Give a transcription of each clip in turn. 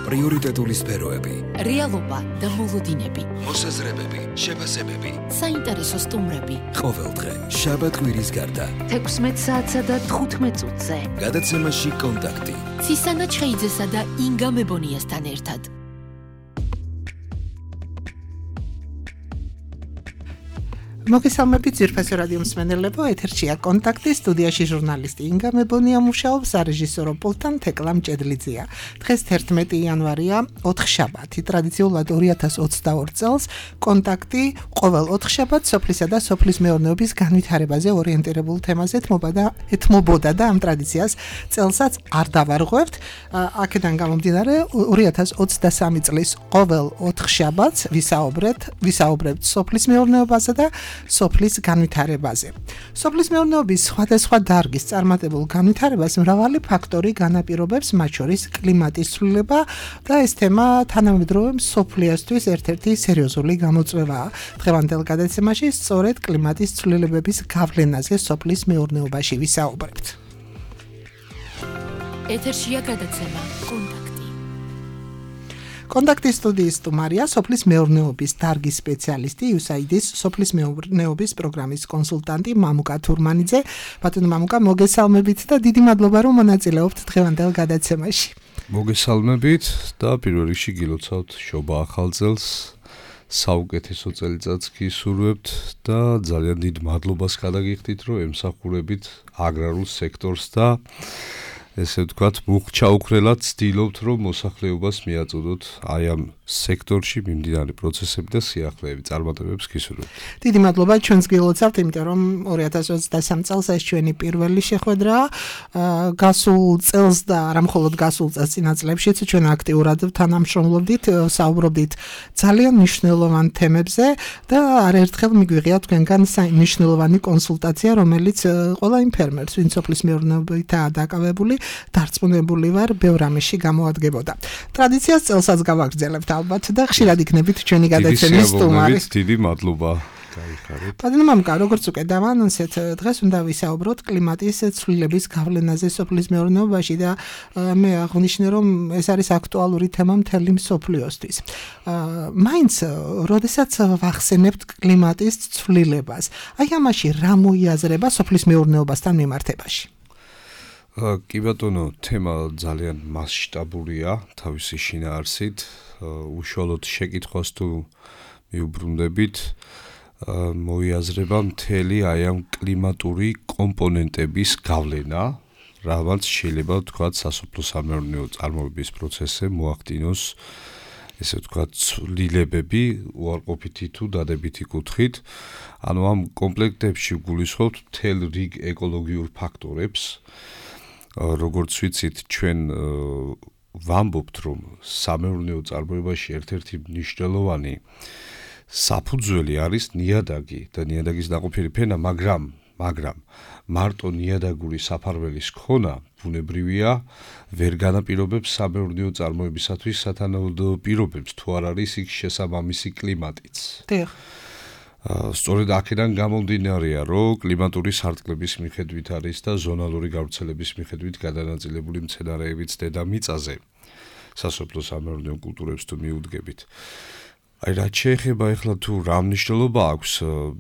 პრიორიტეტული სფეროები, რეალობა და მოლოდინები, მოსაზრებები, შეფასებები, საინტერესო სტუმრები. ყოველდღე, შაბათ-კვირის გარდა, 16 საათსა და 15 წუთზე. გადაცემაში კონტაქტი. ცისანა ჩხეიძესა და ინგა მებონიასთან ერთად. მოგესალმებით ძირფასი რადიო მსმენელებო, ეთერშია კონტაქტი, სტუდიაში ჟურნალისტი ინგა მებონია მუშაობს, სარეჟისორო პულტთან თეკლა მჭედლიძეა. დღეს 11 იანვარია, ოთხშაბათი. ტრადიციულად 2022 წელს კონტაქტი ყოველ ოთხშაბათს სოფლისა და სოფლის მეურნეობის განვითარებაზე ორიენტირებულ თემაზე ეთმობოდა და ამ ტრადიციას წელსაც არ დავარღვევთ. აქედან გამომდინარე 2023 წლის ყოველ ოთხშაბათს ვისაუბრებთ სოფლის მეურნეობაზე და სოფლის განვითარებაზე. სოფლის მეურნეობის სხვადასხვა დარგის წარმატებულ განვითარებას მრავალი ფაქტორი განაპირობებს, მათ შორის კლიმატის ცვლილება და ეს თემა თანამედროვე მსოფლიოსთვის ერთ-ერთი სერიოზული გამოწვევაა. დღევანდელ გადაცემაში სწორედ კლიმატის ცვლილებების გავლენაზე სოფლის მეურნეობაში ვისაუბრებთ. ეთერშია გადაცემა კონტაქტი. კონტაქტის სტუდიის სტუმარია სოფლის მეურნეობის დარგის სპეციალისტი, USAID-ის სოფლის მეურნეობის პროგრამის კონსულტანტი მამუკა თურმანიძე. ბატონო მამუკა, მოგესალმებით და დიდი მადლობა რომ მონაწილეობთ დღევანდელ გადაცემაში. მოგესალმებით და პირველ რიგში გილოცავთ შობა ახალ წელს. საუკეთესო წელიწადს გისურვებთ და ძალიან დიდ მადლობას გადაგიხდით, რომ ემსახურებით აგრარულ სექტორს და ესე ვთქვათ, მუხჩაუქრელად ცდილობთ, რომ მოსახლეობას მიაწოდოთ აი ამ სექტორში მიმდინარე პროცესები და სიახლეები წარმატებებს გისურვებთ. დიდი მადლობა ჩვენს გილოცავთ, იმიტომ რომ 2023 წელს ეს ჩვენი პირველი შეხვედრაა. გასულ წელს და არა მხოლოდ გასულ წელს წინა წლებშიც ჩვენ აქტიურად თანამშრომლობდით, საუბრობდით ძალიან მნიშვნელოვან თემებზე და არაერთხელ მიგვიღია თქვენგან მნიშვნელოვანი კონსულტაცია, რომელიც ყველა იმ ფერმერს, ვინც სოფლის მეურნეობითაა დაკავებული, დარწმუნებული ვარ, ბევრ ამაში გამოადგებოდა. ტრადიციას წელსაც გავაგრძელებთ ალბათ და ხშირად იქნებით ჩვენი გადაცემის სტუმარი. დიდი მადლობა. გაიხარეთ. ბატონო მამუკა, როგორც უკვე დავანონსეთ, დღეს უნდა ვისაუბროთ კლიმატის ცვლილების გავლენაზე სოფლის მეურნეობაში და მე აღვნიშნე, რომ ეს არის აქტუალური თემა მთელი მსოფლიოსთვის. მაინც, როდესაც ვახსენებთ კლიმატის ცვლილებას, აი ამაში რა მოიაზრება სოფლის მეურნეობასთან მიმართებაში? კი ბატონო, თემა ძალიან მასშტაბურია თავისი შინაარსით. უშუალოდ შეკითხვას თუ მიუბრუნდებით, მოიაზრება მთელი აი ამ კლიმატური კომპონენტების გავლენა, რამაც შეიძლება ვთქვათ სასოფლო-სამეურნეო წარმოების პროცესზე მოახდინოს ესე ვთქვათ ცვლილებები უარყოფითი თუ დადებითი კუთხით. ანუ ამ კომპლექტებში გულისხმობთ მთელ რიგ ეკოლოგიურ ფაქტორებს. როგორც ვიცით, ჩვენ ვამბობთ, რომ სამეურნეო წარმოებაში ერთ-ერთი მნიშვნელოვანი საფუძველი არის ნიადაგი და ნიადაგის დაყოფილი ფენა, მაგრამ მარტო ნიადაგური საფარველის ქონა ბუნებრივია, ვერ განაპირობებს სამეურნეო წარმოებისათვის სათანადო პირობებს, თუ არ არის იქ შესაბამისი კლიმატიც. სწორედ აქედან გამომდინარეა, რომ კლიმატური სარტყლების მიხედვით არის და ზონალური გავრცელების მიხედვით გადანაწილებული მცენარეებიც დედამიწაზე სასოფლო-სამეურნეო კულტურებს თუ მიუდგებით. აი რაც შეეხება ახლა თუ რა მნიშვნელობა აქვს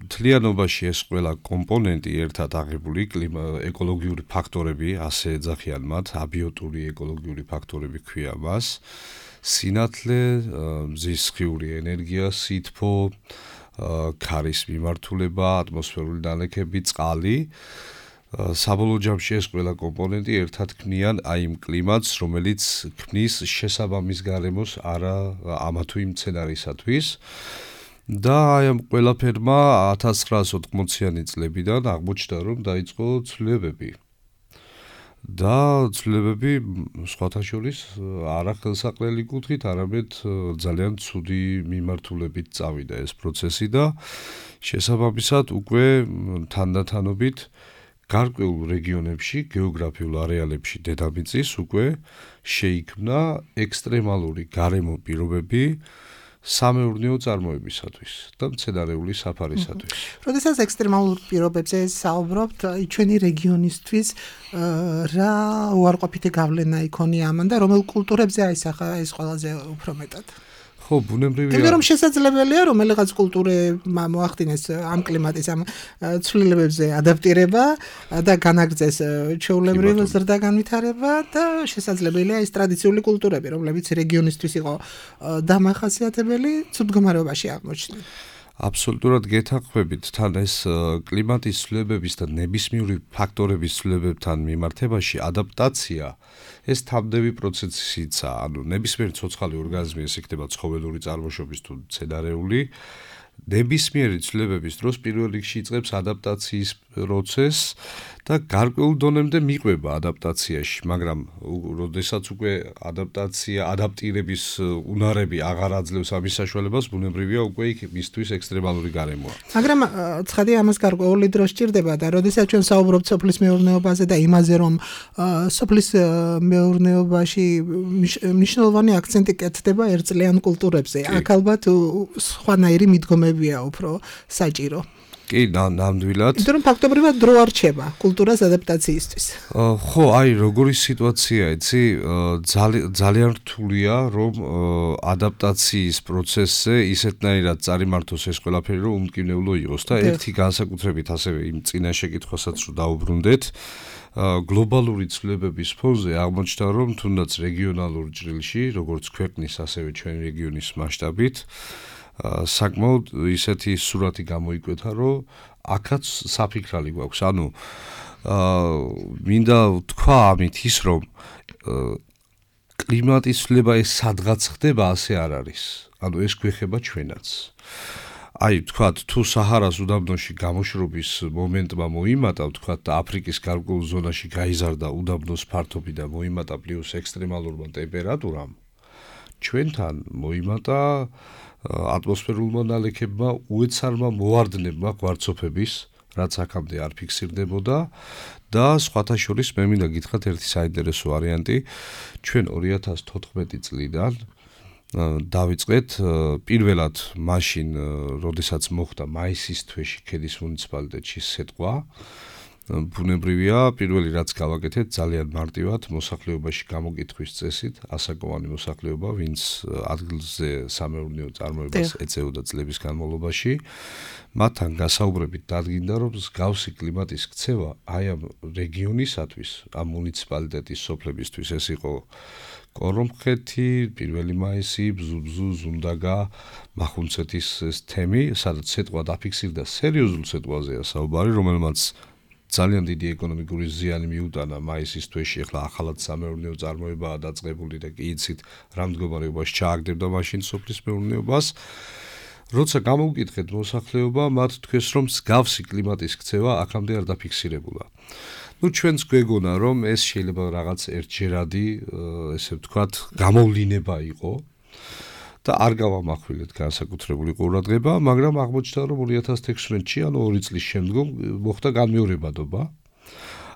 მთლიანობაში ეს ყველა კომპონენტი ერთად აღებული ეკოლოგიური ფაქტორები, ასე ეძახიან მათ, აბიოტური ეკოლოგიური ფაქტორები ქვია მას, სინათლე, მზის სხიური ენერგია, სითბო, ქარის მიმართულება, ატმოსფერული დანექები, წყალი. საბოლოო ჯამში ეს ყველა კომპონენტი ერთად ქმნიან აი იმ კლიმატს, რომელიც ქმნის შესაბამის გარემოს არა ამა თუ იმ მცენარისათვის. და აი ამ ყველაფერმა 1980-იანი წლებიდან აღმოჩნდა, რომ დაიწყო ცვლილებები. და ცვლილებები სხვათა შორის არა ხელსაყრელი კუთხით, არამედ ძალიან ცუდი მიმართულებით წავიდა ეს პროცესი და შესაბამისად უკვე თანდათანობით გარკვეულ რეგიონებში, გეოგრაფიულ არეალებში დედამიწის უკვე შეიქმნა ექსტრემალური გარემო პირობები, სამეურნეო წარმოებისათვის და მცენარეული საფარისათვის. როდესაც ექსტრემალურ პირობებზე საუბრობთ, ჩვენი რეგიონისთვის რა უარყოფითი გავლენა იქონია ამან და რომელ კულტურებზე აისახა ეს ყველაზე უფრო მეტად? ხო, ბუნებრივია. იმიტომ რომ შესაძლებელია რომელიღაც კულტურებმა მოახდინეს ამ კლიმატის ამ ცვლილებებზე ადაპტირება და განაგრძეს ჩვეულებრივ ზრდა-განვითარება და შესაძლებელია ეს ტრადიციული კულტურები, რომლებიც რეგიონისთვის იყო დამახასიათებელი, ცუდ მდგომარეობაში აღმოჩნდა. აბსოლუტურად გეთანხმებით, თან ეს კლიმატის ცვლილებების და ნებისმიერი ფაქტორების ცვლილებებთან მიმართებაში ადაპტაცია ეს თამდები პროცესიცაა, ანუ ნებისმიერი ცოცხალი ორგანიზმი, ეს იქნება ცხოველური წარმოშობის თუ მცენარეული, ნებისმიერი ცვლილებების დროს პირველ რიგში იწყებს ადაპტაციის პროცესს და გარკვეულ დონემდე მიყვება ადაპტაციაში, მაგრამ როდესაც უკვე ადაპტირების უნარები აღარ აძლევს ამის საშუალებას, ბუნებრივია უკვე იქ მისთვის ექსტრემალური გარემოა. მაგრამ ცხადია ამას გარკვეული დრო სჭირდება და როდესაც ჩვენ საუბრობთ სოფლის მეურნეობაზე და იმაზე, რომ სოფლის მეურნეობაში მნიშვნელოვანი აქცენტი კეთდება ერთწლიან კულტურებზე, აქ ალბათ სხვანაირი მიდგომებია უფრო საჭირო. კი, ნამდვილად. იმიტომ რომ ფაქტობრივად დრო არ რჩება კულტურას ადაპტაციისთვის. ხო, აი, როგორი სიტუაცია, იცი, ძალიან რთულია, რომ ადაპტაციის პროცესზე ისეთნაირად წარიმართოს ეს ყველაფერი, რომ უმკინებლო იყოს და ერთი განსაკუთრებით ასევე იმ წინა შეკითხვასაც რომ დაუბრუნდეთ, გლობალური ცვლილებების ფონზე აღმოჩნდა, რომ თუნდაც რეგიონალურ ჭრილში, როგორც ქვეყნის, ასევე ჩვენი რეგიონის მასშტაბით საკმაოდ ისეთი სურათი გამოიკვეთა, რომ აქაც საფიქრალი გვაქვს. ანუ მინდა ვთქვა ამით ის, რომ კლიმატის ცვლილება ეს სადღაც ხდება, ასე არ არის. ანუ ეს გვეხება ჩვენაც. აი, ვთქვათ, თუ საჰარას უდაბნოში გამოშრობის მომენტმა მოიმატა, ვთქვათ, და აფრიკის გარკვეულ ზონაში გაიზარდა უდაბნოს ფართობი და მოიმატა პლუს ექსტრემალურმა ტემპერატურამ, ჩვენთან მოიმატა ატმოსფერულმა ნალექებმა უეცარმა მოვარდნებმა კვარცოფების, რაც აქამდე არ ფიქსირდებოდა და სხვათა შორის მე მინდა გითხრათ ერთი საინტერესო ვარიანტი, ჩვენ 2014 წლიდან დავიწყეთ პირველად მაშინ, როდესაც მოხდა მაისის თვეში ქედის მუნიციპალიტეტში სეტყვა, ბუნებრივია, პირველი რაც გავაკეთეთ, ძალიან მარტივად მოსახლეობაში გამოკითხვის წესით, ასაკოვანი მოსახლეობა, ვინც ადგილზე სამეურნეო წარმოებას ეწეოდა წლების განმავლობაში, მათთან გასაუბრებით დადგინდა, რომ მსგავსი კლიმატის ქცევა აი ამ რეგიონისათვის, ამ მუნიციპალიტეტის სოფლებისთვის ეს იყო კორომხეთი, 1 მაისი, ბზუბზუ, ზუნდაგა, მახუნცეთის ეს თემი, სადაც სეტყვა დაფიქსირდა, სერიოზულ სეტყვაზეა საუბარი, რომელმაც ძალიან დიდი ეკონომიკური ზიანი მიუტანა მაისის თვეში, ახლა ახალად სამეურნეო წარმოებაა დაწყებული და კი იცით, რა მდგომარეობაში ჩააგდებდა მაშინ სოფლის მეურნეობას. როცა გამოვკითხეთ მოსახლეობა, მათ თქვეს, რომ მსგავსი კლიმატის ქცევა აქამდე არ დაფიქსირებულა. ჩვენც გვეგონა, რომ ეს შეიძლება რაღაც ერთჯერადი, ესე ვთქვათ, გამოვლინება იყო და არ გავამახვილეთ განსაკუთრებული ყურადღება, მაგრამ აღმოჩნდა, რომ 2016-ში, ანუ 2 წლის შემდგომ მოხდა განმეორებადობა.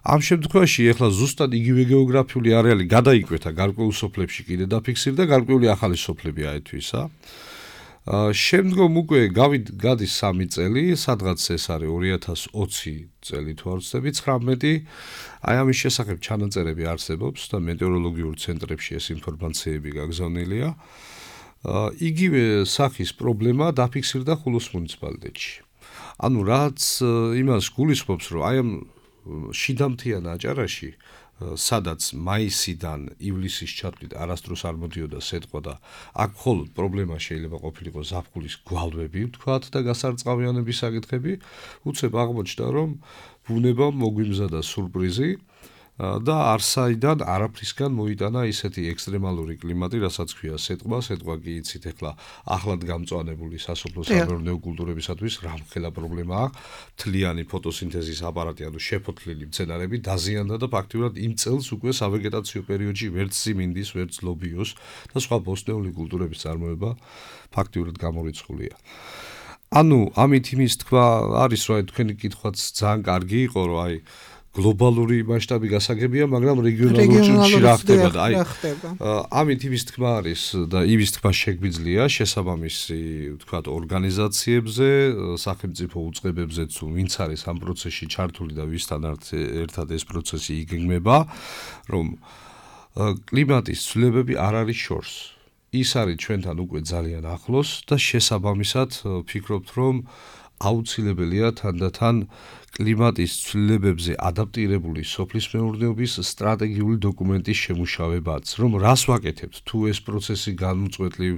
ამ შემთხვევაში ახლა ზუსტად იგივე გეოგრაფიული არეალი გადაიკვეთა გარკვეულ სოფლებში კიდე დაფიქსირდა, გარკვეული ახალი სოფლები აეთვისა. შემდგომ უკვე გადის 3 წელი, სადღაც ეს არის 2020 წელი თუ არ ვცდები, 19. აი ამის შესახებ ჩანაწერები არსებობს და მეტეოროლოგიურ ცენტრებში ეს ინფორმაციები გაგზავნილია. იგივე სახის პრობლემა დაფიქსირდა ხულოს მუნიციპალიტეტში. ანუ რაც იმას გულისხმობს, რომ აი ამ შიდამთიან აჭარაში, სადაც მაისიდან ივლისის ჩათვლით არასდროს არ მოდიოდა სეტყვა და აქ მხოლოდ პრობლემა შეიძლება ყოფილიყო ზაფხულის გვალვები, ვთქვათ, და გასარწყავიანების საკითხები, უცებ აღმოჩნდა, რომ ბუნებამ მოგვიმზადა სურპრიზი და არსაიდან არაფრისგან მოიტანა ისეთი ექსტრემალური კლიმატი, რასაც ქვია სეტყვა. სეტყვა კი იცით, ახლა ახლად გამწვანებული სასოფლო სამეურნეო კულტურებისათვის რამხელა პრობლემა აქვს. მთლიანი ფოტოსინთეზის აპარატი, ანუ შეფოთლილი მცენარები დაზიანდა და ფაქტიურად იმ წელს უკვე სავეგეტაციო პერიოდში ვერც სიმინდის, ვერც ლობიოს და სხვა ბოსტნეული კულტურების წარმოება ფაქტიურად გამორიცხულია. ანუ ამით იმის თქვა არის, რომ თქვენი კითხვაც ძალიან კარგი იყო, რომ აი გლობალური მასშტაბი გასაგებია, მაგრამ რეგიონალურ ჭრილში რა ხდება და ამით იმის თქმა არის და იმის თქმა შეგვიძლია შესაბამისი, ვთქვათ, ორგანიზაციებზე, სახელმწიფო უწყებებზეც, ვინც არის ამ პროცესში ჩართული და ვისთან ერთად ეს პროცესი იგეგმება, რომ კლიმატის ცვლილებები არ არის შორს. ის არის ჩვენთან უკვე ძალიან ახლოს და შესაბამისად ვფიქრობთ, რომ აუცილებელია თანდათან კლიმატის ცვლილებებზე ადაპტირებული სოფლის მეურნეობის სტრატეგიული დოკუმენტის შემუშავებაც, რომ რას ვაკეთებთ თუ ეს პროცესი განუწყვეტლივ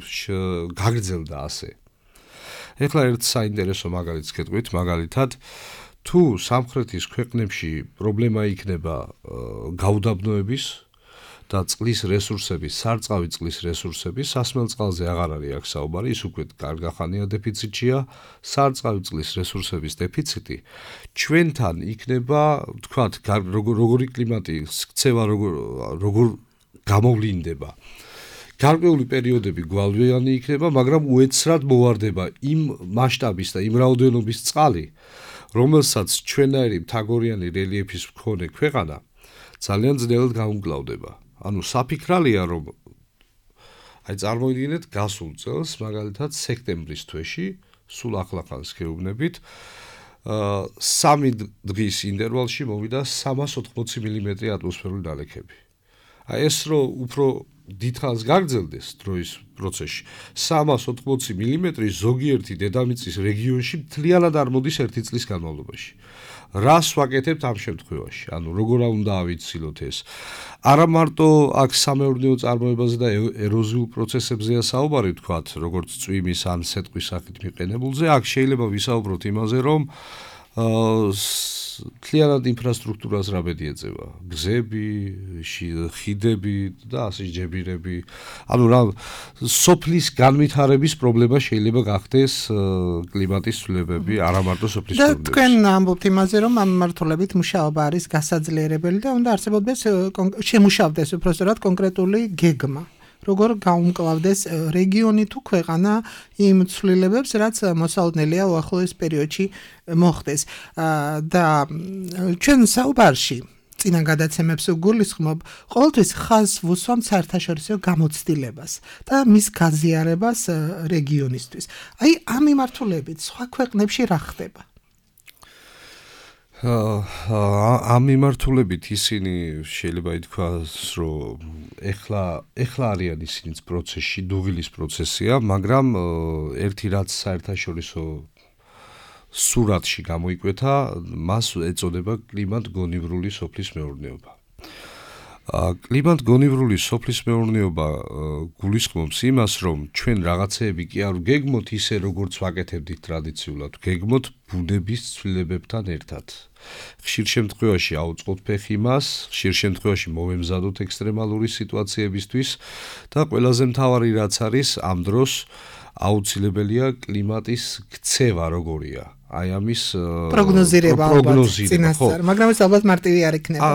გაგრძელდა ასე. ეხლა ერთ საინტერესო მაგალითს გეტყვით, მაგალითად, თუ სამხრეთის ქვეყნებში პრობლემა იქნება გაუდაბნოების და წყლის რესურსების, სარწყავი წყლის რესურსების, სასმელ წყალზე აღარ არის აქ საუბარი, ის უკვე კარგახანია დეფიციტია, სარწყავი წყლის რესურსების დეფიციტი, ჩვენთან იქნება, ვთქვათ, როგორი კლიმატის ქცევა როგორ გამოვლინდება. გარკვეული პერიოდები გვალვიანი იქნება, მაგრამ უეცრად მოვარდება იმ მასშტაბის და იმ რაოდენობის წყალი, რომელსაც ჩვენაირი მთაგორიანი რელიეფის მქონე ქვეყანა ძალიან ძნელად გაუმკლავდება. ანუ საფიქრალია, რომ წარმოიდგინეთ გასულ წელს, მაგალითად სექტემბრის თვეში, სულ ახლახანს გეუბნებით, 3 დღის ინტერვალში მოვიდა 380 მმ ატმოსფერული ნალექები. ეს რო უფრო დიდხანს გაგრძელდეს დროის პროცესში, 380 მმ ზოგიერთი დედამიწის რეგიონში მთლიანად არ მოდის ერთი წლის განმავლობაში. რას ვაკეთებთ ამ შემთხვევაში? ანუ როგორ უნდა ავიცილოთ ეს? არა მარტო აქ სამეურნეო წარმოებაზე და ეროზიულ პროცესებზეა საუბარი, ვთქვათ, როგორც წვიმის ან სეტყვის სახით მიყენებულზე, აქ შეიძლება ვისაუბროთ იმაზე, რომ მთლიანად ინფრასტრუქტურას რა ბედი ეწევა? გზები, ხიდები და ასე ჯებირები. ანუ რა სოფლის განვითარების პრობლემა შეიძლება გახდეს კლიმატის ცვლილებები, არა მარტო სოფლის პრობლემა. და თქვენ ამბობთ იმაზე, რომ ამ მიმართულებით მუშაობა არის გასაძლიერებელი და უნდა არსებობდეს შემუშავდეს უпростоრად კონკრეტული გეგმა. როგორ გაუმკლავდეს რეგიონი თუ ქვეყანა იმ ცვლილებებს, რაც მოსალოდნელია უახლოეს პერიოდში მოხდეს. და ჩვენ საუბარში წინა გადაცემებს ვგულისხმობ, ყოველთვის ხაზს ვუსვამთ საერთაშორისო გამოცდილებას და მის გაზიარებას რეგიონისთვის. აი ამ მიმართულებით სხვა ქვეყნებში რა ხდება? ამ მიმართულებით ისინი შეიძლება ითქვას, რომ ეხლა არიან ისინიც პროცესში, დუღილის პროცესია, მაგრამ ერთი რაც საერთაშორისო სურათში გამოიკვეთა, მას ეწოდება კლიმატ-გონივრული სოფლის მეურნეობა. კლიმატ-გონივრული სოფლის მეურნეობა გულისხმობს იმას, რომ ჩვენ რაღაცეები კი არ ვგეგმოთ ისე, როგორც ვაკეთებდით ტრადიციულად, ვგეგმოთ ბუნების ცვლილებებთან ერთად. ხშირ შემთხვევაში აუწყოთ ფეხი მას, ხშირ შემთხვევაში მოვემზადოთ ექსტრემალური სიტუაციებისთვის და ყველაზე მთავარი რაც არის, ამ დროს აუცილებელია კლიმატის ქცევა როგორია. აი ამის პროგნოზირება, მაგრამ ეს ალბათ მარტივი არ იქნება.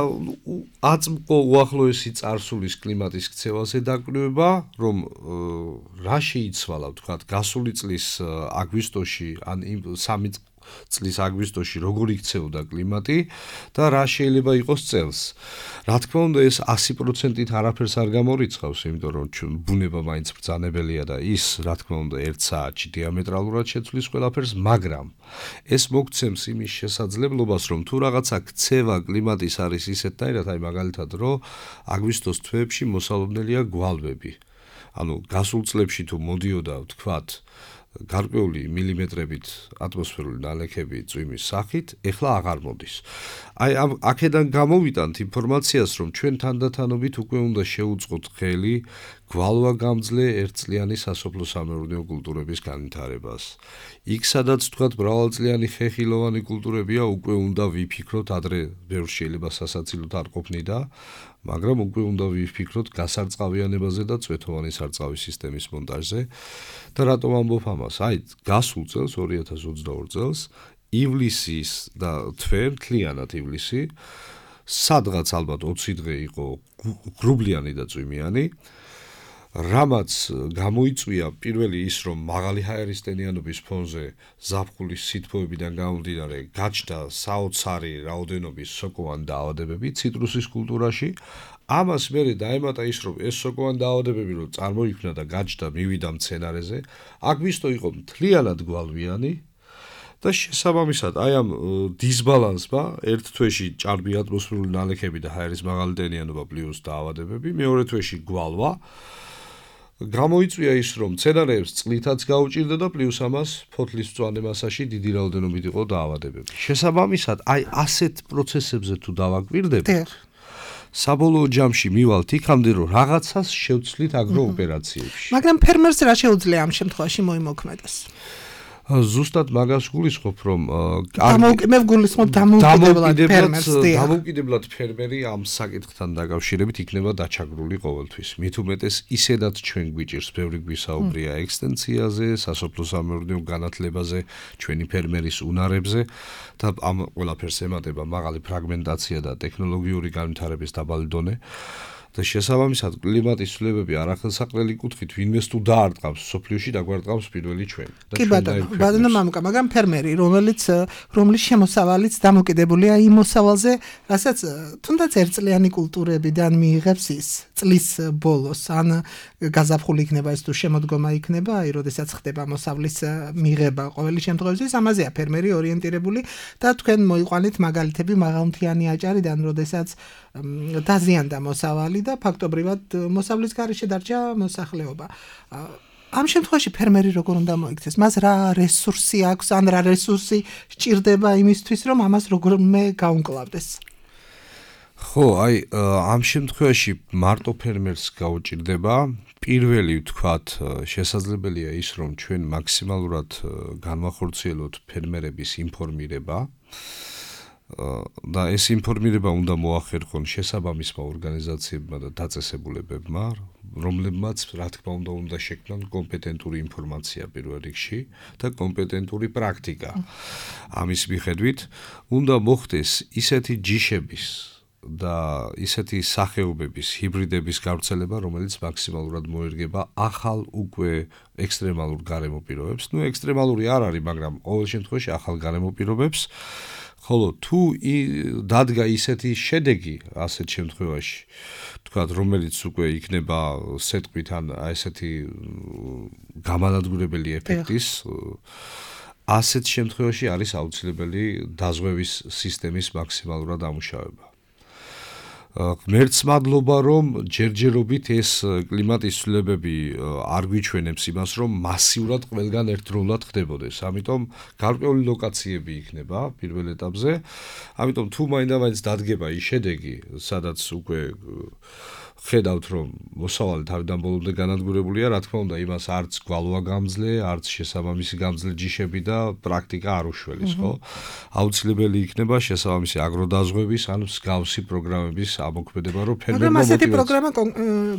აწმყო უახლოესი წარსულის კლიმატის ქცევაზე დაკვრიება, რომ რა შეიცვალა, ვთქვათ, გასული წლის აგვისტოში ან 3 წლის აგვისტოში როგორ იქცეოდა კლიმატი და რა შეიძლება იყოს წელს. რა თქმა უნდა, ეს 100%-ით არაფერს არ გამორიცხავს, იმიტომ რომ ბუნება მაინც ბრძანებელია და ის, რა თქმა უნდა, 1 საათში დიამეტრალურად შეცვლის ყველაფერს, მაგრამ ეს მოგცემს იმის შესაძლებლობას, რომ თუ რაღაცა ქცევა კლიმატის არის ისეთნაირად, აი მაგალითად, რომ აგვისტოს თვეებში მოსალოდნელია გვალვები. ანუ გასულ წლებში თუ მოდიოდა, ვთქვათ, გარკვეული მილიმეტრებით ატმოსფერული ნალექები წვიმის სახით, ეხლა აღარ მოდის. აი აქედან გამოვიტანთ ინფორმაციას, რომ ჩვენ თანდათანობით უკვე უნდა შევუწყოთ ხელი გვალვაგამძლე ერთწლიანი სასოფლო-სამეურნეო კულტურების განვითარებას. იქ სადაც თქვათ მრავალწლიანი ხეხილოვანი კულტურებია, უკვე უნდა ვიფიქროთ, ადრე ბევრს შეიძლება სასაცილოდ არ ყოფნიდა, მაგრამ უკვე უნდა ვიფიქროთ გასარწყავიანებაზე და წვეთოვანი სარწყავის სისტემის მონტაჟზე. და რატომ ამბობ ამას? აი, გასულ წელს 2022 წელს ივლისის და თვე, მთლიანად ივლისი, სადღაც ალბათ 20 დღე იყო გრუბლიანი და წვიმიანი. რამაც გამოიწვია პირველი ის, რომ მაღალი ჰაერისტენიანობის ფონზე ზაფხულის სითბოებიდან გამომდინარე გაჩნდა საოცარი რაოდენობის სოკოვანი დაავადებები ციტრუსის კულტურაში. ამას მერე დაემატა ის, რომ ეს სოკოვანი დაავადებები რომ წარმოიქმნა და გაჩნდა მივიდა მცენარეზე, აქ მისто იყო მთლიანად გვალვიანი და შესაბამისად აი ამ დისბალანსმა ერთ თვეში ჭარბი ატმოსფერული ნალექები და ჰაერის მაღალი ტენიანობა პლუს დაავადებები, მეორე თვეში გვალვა გამოიწვია ის, რომ მცენარეებს წყლითაც გაუჭირდა და პლუს ამას ფოთლის მწვანე მასაში დიდი რაოდენობით იყო დაავადებები. შესაბამისად, აი ასეთ პროცესებზე თუ დავაკვირდებით, საბოლოო ჯამში მივალთ იქამდე, რომ რაღაცას შევცვლით აგროოპერაციებში. მაგრამ ფერმერს რა შეუძლია ამ შემთხვევაში მოიმოქმედოს? ზუსტად მაგას გულისხმობ, რომ მე გულისხმობ დამოუკიდებლად ფერმერი ამ საკითხთან დაკავშირებით იქნება დაჩაგრული ყოველთვის. მით უმეტეს ისედაც ჩვენ გვიჭირს ბევრი გვისაუბრია ექსტენციაზე, სასოფლო-სამეურნეო განათლებაზე, ჩვენი ფერმერის უნარებზე და ამ ყველაფერს ემატება მაღალი ფრაგმენტაცია და ტექნოლოგიური განვითარების დაბალი დონე. და შესაბამისად კლიმატის ცვლილებები არახელსაყრელი კუთხით ვინმეს თუ დაარტყავს სოფლიოში დაგვარტყავს პირველი ჩვენ. კი ბატონო მამუკა, მაგრამ ფერმერი, რომლის შემოსავალიც დამოკიდებულია იმ მოსავალზე, რასაც თუნდაც ერთწლიანი კულტურებიდან მიიღებს ის წლის ბოლოს, ან გაზაფხული იქნება ეს თუ შემოდგომა იქნება, აი როდესაც ხდება მოსავლის მიღება ყოველი შემთხვევაში, ამაზეა ფერმერი ორიენტირებული და თქვენ მოიყვანით მაგალითები მაღალმთიანი აჭარიდან, როდესაც დაზიანდა მოსავალი და ფაქტობრივად მოსავლის გარეშე დარჩა მოსახლეობა. ამ შემთხვევაში ფერმერი როგორ უნდა მოიქცეს? მას რა რესურსი აქვს, ან რა რესურსი სჭირდება იმისთვის, რომ ამას როგორმე გაუმკლავდეს? ხო, აი ამ შემთხვევაში მარტო ფერმერს გაუჭირდება. პირველი ვთქვათ, შესაძლებელია ის, რომ ჩვენ მაქსიმალურად განვახორციელოთ ფერმერების ინფორმირება. და ეს ინფორმირება უნდა მოახერხონ შესაბამისმა ორგანიზაციებმა და დაწესებულებებმა, რომლებმაც რა თქმა უნდა შექმნან კომპეტენტური ინფორმაცია პირველ რიგში და კომპეტენტური პრაქტიკა. ამის მიხედვით უნდა მოხდეს ისეთი ჯიშების და ისეთი სახეობების ჰიბრიდების გავრცელება, რომელიც მაქსიმალურად მოერგება ახალ უკვე ექსტრემალურ გარემო პირობებს. ნუ ექსტრემალური არ არის, მაგრამ ყოველ შემთხვევაში ახალ გარემო პირობებს. ხოლო თუ დადგა ისეთი შედეგი ასეთ შემთხვევაში, თქვათ, რომელიც უკვე იქნება სეტყვით ან ესეთი გამანადგურებელი ეფექტის, ასეთ შემთხვევაში არის აუცილებელი დაზღვევის სისტემის მაქსიმალურად ამუშავება. ღმერთს მადლობა, რომ ჯერჯერობით ეს კლიმატის ცვლილებები არ გვიჩვენებს იმას, რომ მასიურად ყველგან ერთდროულად ხდებოდეს. ამიტომ გარკვეული ლოკაციები იქნება პირველ ეტაპზე. ამიტომ თუ მაინდა-მაინც დადგება ის შედეგი, სადაც უკვე ხედავთ, რომ მოსავალი თავიდან ბოლომდე განადგურებულია, რა თქმა უნდა, იმას არც გვალვა გამძლე, არც შესაბამისი გამძლე ჯიშები და პრაქტიკა არ უშველის, ხო? აუცილებელი იქნება შესაბამისი აგროდაზღვევის ან მსგავსი პროგრამების ამოქმედება, რომ ფერმერმა მაგრამ ასეთი პროგრამა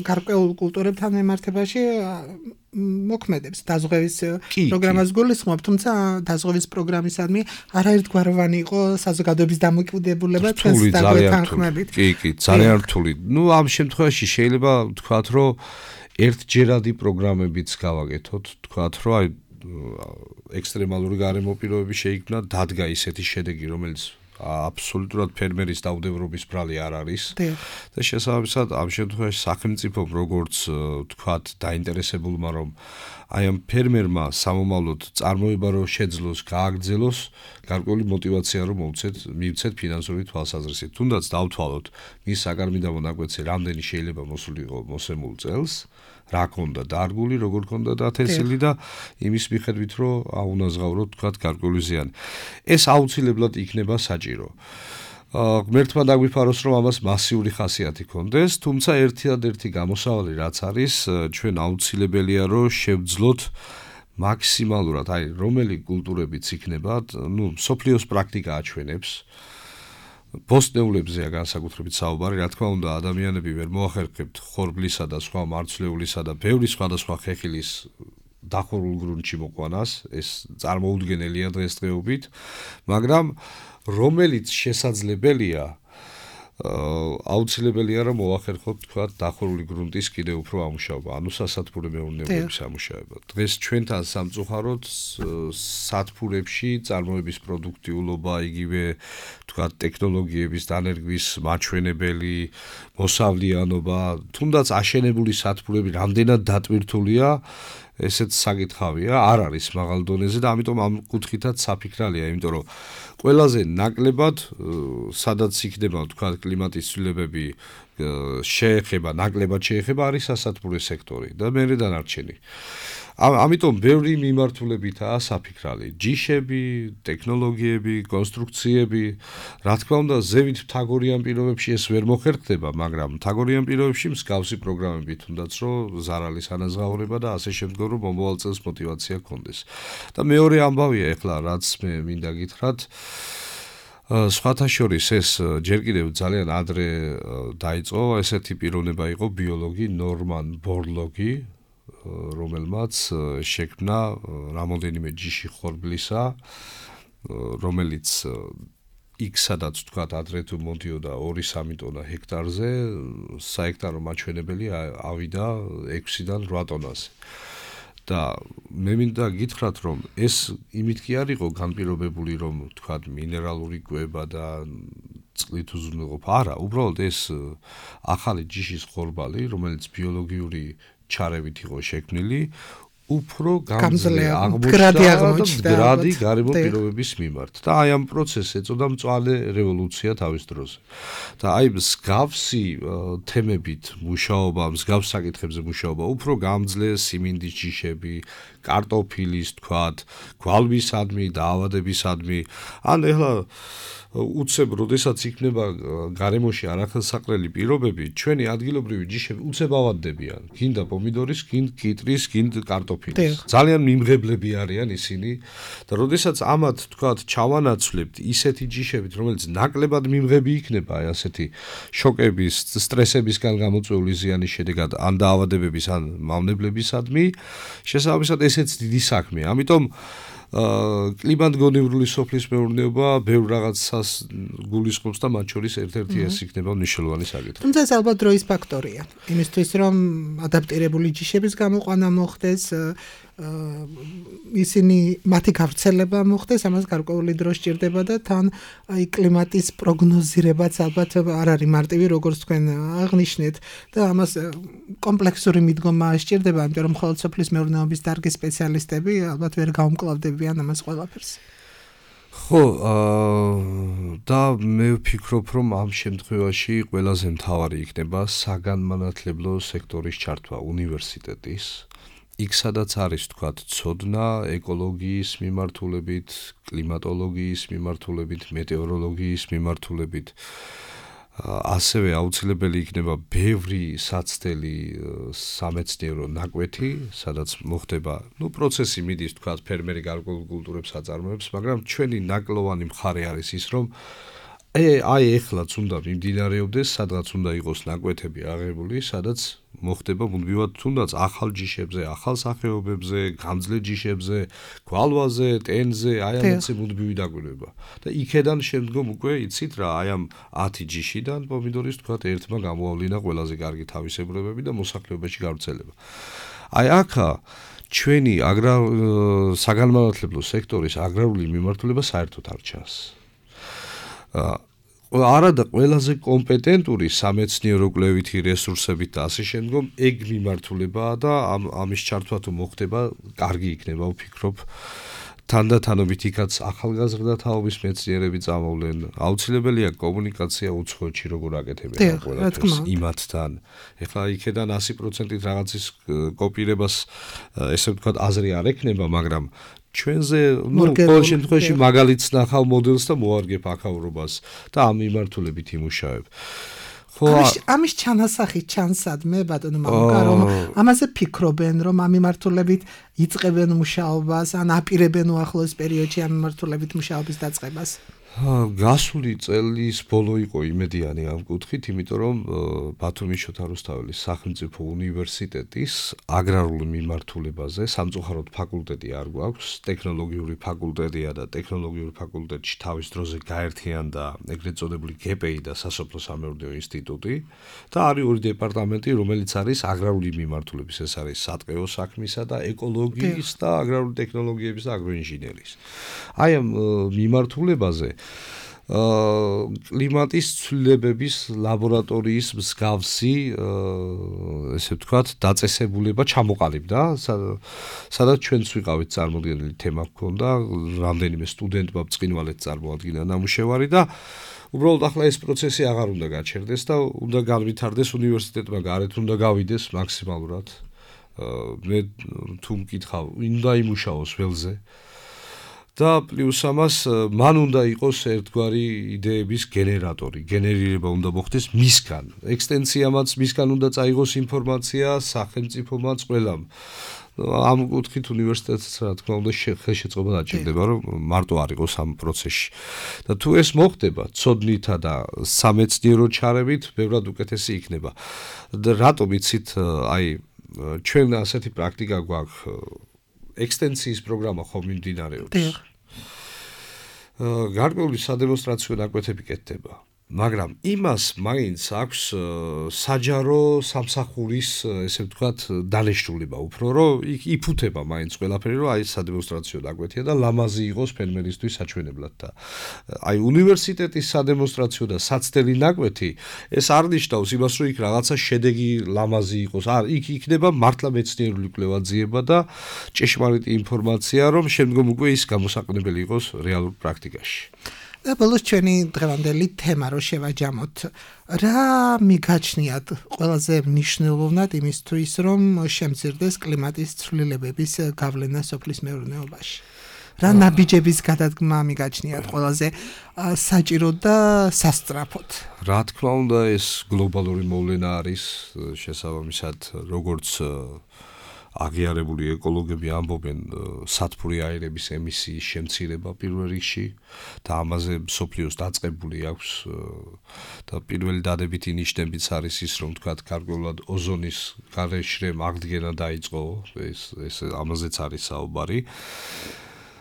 გარკვეულ კულტურებთან ემართებაში მოქმედებს. დაზღვევის პროგრამას გულისხმობ, თუმცა დაზღვევის პროგრამისადმი არაერთგვაროვანი იყო საზოგადოების დამოკიდებულება ჩვენს თანხმებით. კი, ძალიან რთული. ნუ ამ შემთხვევაში შეიძლება ვთქვათ, რომ ერთჯერადი პროგრამებიც გავაკეთოთ, ვთქვათ, რომ აი ექსტრემალური გარემო პირობები შეიქმნა, დადგა ისეთი შედეგი, რომელიც აბსოლუტურად ფერმერის დაუდევრობის ბრალი არ არის და შესაბამისად ამ შემთხვევაში სახელმწიფომ როგორც ვთქვათ დაინტერესებულმა რომ აი ამ ფერმერმა სამომავლოდ წარმოება რომ შეძლოს, გააგრძელოს, გარკვეული мотиваცია რომ მივცეთ ფინანსური თვალსაზრისით. თუნდაც დავთვალოთ მის საგარმიდამო ნაკვეთზე რამდენი შეიძლება მოსულიყო მოსემულ წელს, რა ქონდა დარგული, როგორ ქონდა დათესილი და იმის მიხედვით რომ აუნაზღავროთ თქვათ გარკვეული ზიანი. ეს აუცილებლად იქნება საჭირო. ღმერთმა დაგვიფაროს რომ ამას მასიური ხასიათი ქონდეს, თუმცა ერთადერთი გამოსავალი რაც არის, ჩვენ აუცილებელია რომ შევძლოთ მაქსიმალურად, აი რომელი კულტურებიც იქნება, ნუ სოფლიოს პრაქტიკა აჩვენებს. პოსტნეულებზეა განსაკუთრებით საუბარი, რა თქმა უნდა, ადამიანები ვერ მოახერხებთ ხორბლისა და სხვა მარცვლეულისა და ბევრი სხვადასხვა ხეხილის დახურულ გრუნტში მოყვანას, ეს წარმოუდგენელია დღესდღეობით, მაგრამ რომელიც შესაძლებელია აუცილებელია რომ მოახერხოთ თქვა დახურული გრუნტის კიდევ უფრო ამუშავება, ანუ სასათბურე მეურნეობების ამუშავება. დღეს ჩვენთან სამწუხაროდ სათბურებში წარმოების პროდუქტიულობა, იგივე თქვა ტექნოლოგიების დანერგვის მაჩვენებელი, მოსავლიანობა, თუნდაც აშენებული სათბურები რამდენად დატვირთულია, ესეც საკითხავია, არ არის მაღალ დონეზე და ამიტომ ამ კუთხითაც საფიქრალია, იმიტომ რომ ყველაზე ნაკლებად სადაც იქნება თქვა კლიმატის ცვლილებები ნაკლებად შეეხება არის სასათბურე სექტორი და მერე დანარჩენი. ამიტომ ბევრი მიმართულებითაა საფიქრალი. ჯიშები, ტექნოლოგიები, კონსტრუქციები, რა თქმა უნდა, ზევით მთაგორიან პირობებში ეს ვერ მოხერხდება, მაგრამ მთაგორიან პირობებში მსგავსი პროგრამები თუნდაც რომ ზარალის ანაზღაურება და ასე შემდგომ რომ მომავალ წელს мотиваცია გქონდეს. და მეორე ამბავია ეხლა რაც მე მინდა გითხრათ, სხვათა შორის ეს ჯერ კიდევ ძალიან ადრე დაიწყო, ესეთი პიროვნება იყო ბიოლოგი ნორმან ბორლოგი, რომელმაც შექმნა რამოდენიმე ჯიში ხორბლისა, რომელიც იქ სადაც თქვა ადრე თუ მოდიოდა 2-3 ტონა ჰექტარზე, საექტარო მაჩვენებელი ავიდა 6-დან 8 ტონაზე. და მე მინდა გითხრათ რომ ეს იმით კი არ იყო განპირობებული რომ თქვა მინერალური კვება და წყლით უზრუნველყოფა, არა, უბრალოდ ეს ახალი ჯიშის ხორბალი, რომელიც ბიოლოგიური ჩარევით იყო შექმნილი, უფრო გამძლე აღმოჩნდა მდგრადი გარემო პირობების მიმართ. და აი ამ პროცესს ეწოდა მწვანე რევოლუცია თავის დროზე. და აი მსგავსი თემებით მუშაობა, მსგავს საკითხებზე მუშაობა, უფრო გამძლე სიმინდის ჯიშები, კარტოფილის, თქვათ, გვალვისადმი, დაავადებისადმი. ან ეხლა უცებ როდესაც იქნება გარემოში არახელსაყრელი პირობები, ჩვენი ადგილობრივი ჯიშები უცებ ავადდებიან. გინდა პომიდორის, გინდა კიტრის, გინდა კარტოფილის. ძალიან მიმღებლები არიან ისინი და როდესაც ამათ თქვათ ჩავანაცვლებთ ისეთი ჯიშებით, რომელიც ნაკლებად მიმღები იქნება აი ასეთი შოკების, სტრესებისგან გამოწვეული ზიანის შედეგად, ან დაავადებების, ან მავნებლებისადმი, შესაბამისად ესეც დიდი საქმეა. ამიტომ კლიმატგონივრული სოფლის მეურნეობა ბევრ რაღაცას გულისხმობს და მათ შორის ერთ-ერთი ეს იქნება მნიშვნელოვანი საკითხი. თუმცა ეს ალბათ დროის ფაქტორია. იმისთვის რომ ადაპტირებული ჯიშების გამოყვანა მოხდეს, ისინი მათი გავრცელება მოხდეს, ამას გარკვეული დრო სჭირდება და თან აი კლიმატის პროგნოზირებაც ალბათ არ არის მარტივი, როგორც თქვენ აღნიშნეთ და ამას კომპლექსური მიდგომა სჭირდება, იმიტომ რომ მხოლოდ სოფლის მეურნეობის დარგის სპეციალისტები ალბათ ვერ გაუმკლავდებიან ამას ყველაფერს. ხო, და მე ვფიქრობ, რომ ამ შემთხვევაში ყველაზე მთავარი იქნება საგანმანათლებლო სექტორის ჩართვა უნივერსიტეტის. იქ სადაც არის თქვათ ცოდნა ეკოლოგიის მიმართულებით, კლიმატოლოგიის მიმართულებით, მეტეოროლოგიის მიმართულებით, ასევე აუცილებელი იქნება ბევრი საცდელი სამეცნიერო ნაკვეთი, სადაც მოხდება, პროცესი მიდის თქვათ ფერმერი გარკვეულ კულტურებს აწარმოებს, მაგრამ ჩვენი ნაკლოვანი მხარე არის ის, რომ აი ეხლაც უნდა მიმდინარეობდეს, სადღაც უნდა იყოს ნაკვეთები აღებული, სადაც მოხდება მუდმივად თუნდაც ახალ ჯიშებზე, ახალ სახეობებზე, გამძლე ჯიშებზე, გვალვაზე, ტენზე, აი ამაზე მუდმივი დაკვირვება. და იქედან შემდგომ უკვე იცით რა, აი ამ 10 ჯიშიდან პომიდორის თქვათ ერთმა გამოავლინა ყველაზე კარგი თავისებურებები და მოსახლეობაში გავრცელება. აი აქა ჩვენი საგანმანათლებლო სექტორის აგრარული მიმართულება საერთოდ არ ჩანს. არადა ყველაზე კომპეტენტური სამეცნიერო კვლევითი რესურსებით და ასე შემდგომ ეგ მიმართულებაა და ამის ჩართვა თუ მოხდება, კარგი იქნება, ვფიქრობ. თანდათანობით იქაც ახალგაზრდა თაობის მეცნიერები წამოვლენ. აუცილებელია კომუნიკაცია უცხოეთში როგორ აკეთებენ ყველაფერს იმათთან. ეხლა იქედან 100%-ით რაღაცის კოპირებას ესე ვთქვათ აზრი არ ექნება, მაგრამ ჩვენზე ყოველ შემთხვევაში მაგალითს ნახავ მოდელს და მოარგებ აქაურობას და ამ მიმართულებით იმუშავებ. ამის ჩანასახი ჩანსადმე ბატონო მამუკა, რომ ამაზე ფიქრობენ, რომ ამ მიმართულებით იწყებენ მუშაობას, ან აპირებენ უახლოეს პერიოდში ამ მიმართულებით მუშაობის დაწყებას. გასული წელის ბოლო იყო იმედიანი ამ კუთხით, იმიტომ რომ ბათუმის შოთა რუსთაველის სახელმწიფო უნივერსიტეტის აგრარულ მიმართულებაზე სამწუხაროდ ფაკულტეტი არ გვაქვს, ტექნოლოგიური ფაკულტეტია და ტექნოლოგიურ ფაკულტეტში თავის დროზე გაერთიანდა ეგრეთ წოდებული GPI და სასოფლო-სამეურნეო ინსტიტუტი და არის ორი დეპარტამენტი, რომელიც არის აგრარული მიმართულების, ეს არის სატყეო საქმისა და ეკოლოგიის და აგრარული ტექნოლოგიების და აგროინჟინერიის. აი ამ მიმართულებაზე კლიმატის ცვლილებების ლაბორატორიის მსგავსი ესე ვთქვათ დაწესებულება ჩამოყალიბდა, სადაც ჩვენც ვიყავით წარმოდგენილი თემა ჰქონდა, რამდენიმე სტუდენტმა ბრწყინვალედ წარმოადგინა ნამუშევარი და უბრალოდ ახლა ეს პროცესი აღარ უნდა გაჩერდეს და უნდა განვითარდეს უნივერსიტეტმა გარეთ უნდა გავიდეს მაქსიმალურად. მე თუ მკითხავ, უნდა იმუშაოს ველზე. და პლუს ამას მან უნდა იყოს ერთგვარი იდეების გენერატორი, გენერირება უნდა მოხდეს მისგან. ექსტენციამაც მისგან უნდა წაიღოს ინფორმაცია, სახელმწიფომაც ყველამ. ამ კუთხით უნივერსიტეტს რა თქმა უნდა ხელშეწყობა დაჭირდება, რომ მარტო არ იყოს ამ პროცესში. და თუ ეს მოხდება, ცოდნითა და სამეცნიერო ჩარევით, ბევრად უკეთესი იქნება. და რატომ იცით, აი ჩვენ ასეთი პრაქტიკა გვაქვს ექსტენციის პროგრამა ხომ მიმდინარეობს. გარკვეული სადემონსტრაციო ნაკვეთები კეთდება, მაგრამ იმას მაინც აქვს საჯარო სამსახურის, ესე ვთქვათ, დანაშრულება უფრო, რომ იფუთება მაინც ყველაფერი, რომ აი სადემონსტრაციო ნაკვეთია და ლამაზი იყოს ფერმერისთვის საჩვენებლად და აი უნივერსიტეტის სადემონსტრაციო და საცდელი ნაკვეთი ეს არ ნიშნავს იმას, რომ იქ რაღაცა შედეგი ლამაზი იყოს. არ, იქ იქნება მართლა მეცნიერული კვლევა-ძიება და ჭეშმარიტი ინფორმაცია, რომ შემდგომ უკვე ის გამოსაყენებელი იყოს რეალურ პრაქტიკაში. და ბოლოს ჩვენი დღევანდელი თემა რო შევაჯამოთ, რა მიგაჩნიათ ყველაზე მნიშვნელოვნად იმისთვის, რომ შემცირდეს კლიმატის ცვლილებების გავლენა სოფლის მეურნეობაში? რა ნაბიჯების გადადგმა მიგაჩნიათ ყველაზე საჭირო და სასწრაფოდ? რა თქმა უნდა, ეს გლობალური მოვლენა არის შესაბამისად, როგორც აღიარებული ეკოლოგები ამბობენ სათბური აირების ემისიის შემცირება პირველ რიგში და ამაზე მსოფლიოს დაწყებული აქვს და პირველი დადებითი ნიშნებიც არის ის, რომ თქვათ გარკვეულად ოზონის გარეშრემ აღდგენა დაიწყო, ეს ამაზეც არის საუბარი.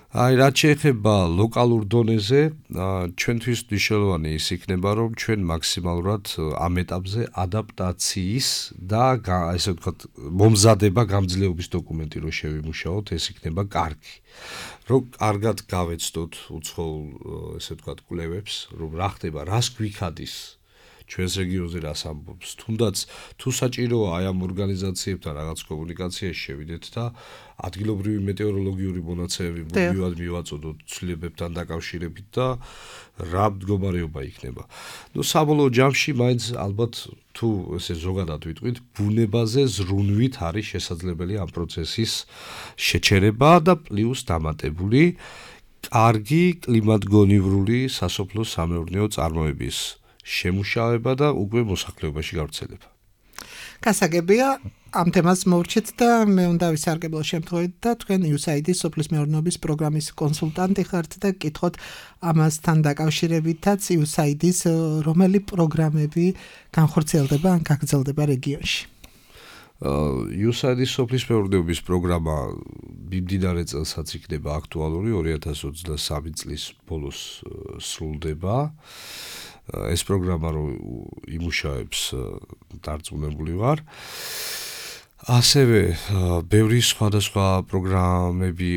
აი რაც შეეხება ლოკალურ დონეზე, ჩვენთვის მნიშვნელოვანი ის იქნება, რომ ჩვენ მაქსიმალურად ამ ეტაპზე ადაპტაციის და ესე ვთქვათ, მომზადება გამძლეობის დოკუმენტი რო შევიმუშაოთ, ეს იქნება კარგი. რომ კარგად გავეცდოთ უცხოურ, ესე ვთქვათ, კვლევებს, რომ რა ხდება, რას გვიქადის ჩვენს რეგიონზე რას ამბობს. თუნდაც თუ საჭიროა აი ამ ორგანიზაციებთან რაღაც კომუნიკაციაში შევიდეთ და ადგილობრივი მეტეოროლოგიური მონაცემები მუდმივად მივაწოდოთ ცვლილებებთან დაკავშირებით და რა მდგომარეობა იქნება. ნუ საბოლოო ჯამში მაინც ალბათ თუ ესე ზოგადად ვიტყვით, ბუნებაზე ზრუნვით არის შესაძლებელი ამ პროცესის შეჩერება და პლუს დამატებული კარგი კლიმატგონივრული სასოფლო-სამეურნეო წარმოების შემუშავება და უკვე მოსახლეობაში გავრცელება. გასაგებია, ამ თემას მოვრჩით და მე უნდა ვისარგებლო შემთხვევით და თქვენ USAID-ის სოფლის მეურნეობის პროგრამის კონსულტანტი ხართ და გკითხოთ ამასთან დაკავშირებითაც USAID-ის რომელი პროგრამები განხორციელდება ან გაგრძელდება რეგიონში. USAID-ის სოფლის მეურნეობის პროგრამა მიმდინარე წელსაც იქნება აქტუალური, 2023 წლის ბოლოს სრულდება. ეს პროგრამა რო იმუშავებს დარწმუნებული ვარ. ასევე ბევრი სხვადასხვა პროგრამები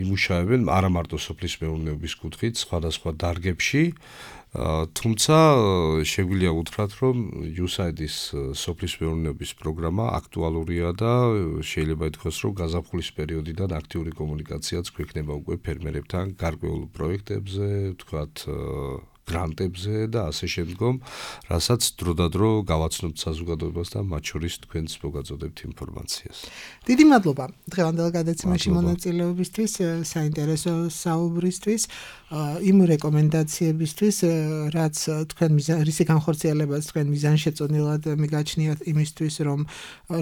იმუშავებენ არა მარტო სოფლის მეურნეობის კუთხით, სხვადასხვა დარგებში. თუმცა შეგვიძლია უთხრათ, რომ USAID-ის სოფლის მეურნეობის პროგრამა აქტუალურია და შეიძლება ითქვას, რომ გაზაფხულის პერიოდიდან აქტიური კომუნიკაციაც გვექნება უკვე ფერმერებთან გარკვეულ პროექტებზე, ვთქვათ, გრანტებზე და ასე შემდგომ, რასაც დროდადრო გავაცნობთ საზოგადოებას და მათ შორის თქვენც მოგაწოდებთ ინფორმაციას. დიდი მადლობა დღევანდელ გადაცემაში მონაწილეობისთვის, საინტერესო საუბრისთვის, იმ რეკომენდაციებისთვის, რაც თქვენ რისი განხორციელებაც თქვენ მიზანშეწონილად მიგაჩნიათ იმისთვის, რომ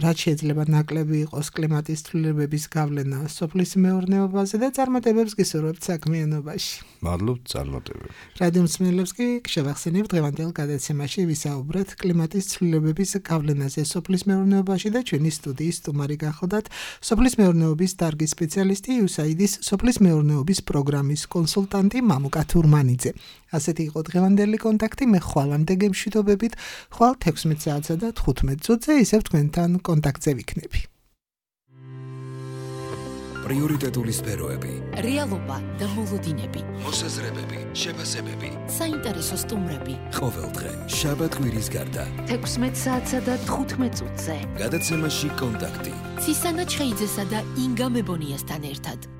რაც შეიძლება ნაკლები იყოს კლიმატის ცვლილებების გავლენა სოფლის მეურნეობაზე და წარმატებებს გისურვებთ საქმიანობაში. მადლობთ წარმატებებს. რადიო მსმენელებს კი შევახსენებთ დღევანდელ გადაცემაში ვისაუბრეთ კლიმატის ცვლილებების გავლენაზე სოფლის მეურნეობაში და ჩვენი სტუდიის სტუმარი გახლდათ სოფლის მეურნეობის დარგის სპეციალისტი USAID-ის სოფლის მეურნეობის პროგრამის კონსულტანტი მამუკა თურმანიძე. ასეთი იყო დღევანდელი კონტაქტი, მე ხვალამდე გემშვიდობებით, ხვალ 16 საათსა და 15 წუთზე ისევ თქვენთან კონტაქტზე ვიქნები. პრიორიტეტული სფეროები, რეალობა და მოლოდინები, მოსაზრებები, შეფასებები, საინტერესო სტუმრები. ყოველდღე შაბათ კვირის გარდა 16 საათსა და 15 წუთზე. გადაცემაში კონტაქტი. ცისანა ჩხეიძესა და ინგა მებონიასთან ერთად.